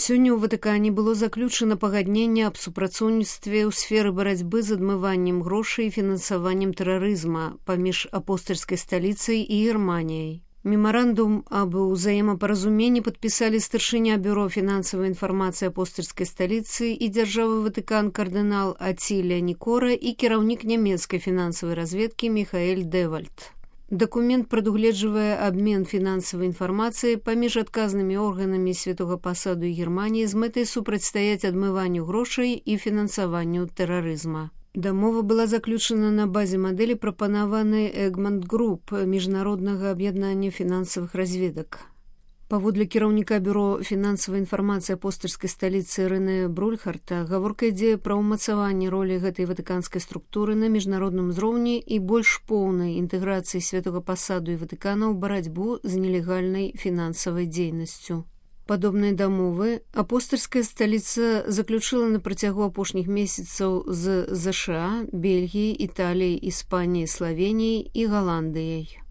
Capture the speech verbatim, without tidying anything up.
Сёння ў Ватыкане было заключана пагадненне аб супрацоўніцтве ў сферы барацьбы з адмываннем грошай і фінансаваннем тэрарызма паміж апостальскай сталіцай і Германіяй. Мемарандум аб узаемапаразуменні падпісалі старшыня бюро фінансавай інфармацыі апостальскай сталіцы і дзяржавы Ватыкан кардынал Ацілія Нікора і кіраўнік нямецкай фінансавай разведкі Міхаэль Дэвальд. Дакумент прадугледжвае абмен фінансавай інфармацыі паміж адказнымі органамі святога пасаду і Германіі з мэтай супрацьстаяць адмыванню грошай і фінансаванню тэрарызма. Дамова была заключана на базе мадэлі, прапанаванай Эгмонт Груп, міжнароднага аб'яднання фінансавых разведак. Паводле кіраўніка бюро фінансавай інфармацыі апостальскай сталіцы Рэнэ Брульхарта, гаворка ідзе пра ўмацаванне ролі гэтай ватыканскай структуры на міжнародным узроўні і больш поўнай інтэграцыі святога пасаду і Ватыкана ў барацьбу з нелегальнай фінансавай дзейнасцю. Падобныя дамовы апостальская сталіца заключыла на працягу апошніх месяцаў з ЗША, Бельгіяй, Італіяй, Іспаніяй, Славеніяй і Галандыяй.